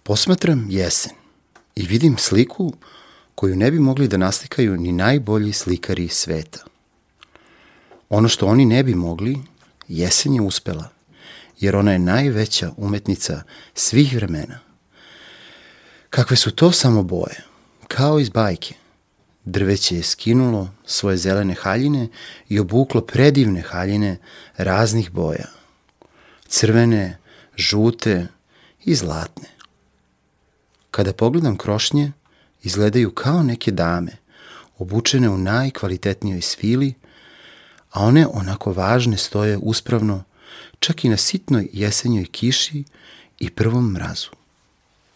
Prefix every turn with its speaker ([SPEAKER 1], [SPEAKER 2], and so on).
[SPEAKER 1] Posmatram jesen i vidim sliku koju ne bi mogli da naslikaju ni najbolji slikari sveta. Ono što oni ne bi mogli, jesen je uspela, jer ona je najveća umetnica svih vremena. Kakve su to samo boje, kao iz bajke. Drveće je skinulo svoje zelene haljine i obuklo predivne haljine raznih boja. Crvene, žute i zlatne. Kada pogledam krošnje, izgledaju kao neke dame, obučene u najkvalitetnijoj svili, a one onako važne stoje uspravno, čak i na sitnoj jesenjoj kiši i prvom mrazu.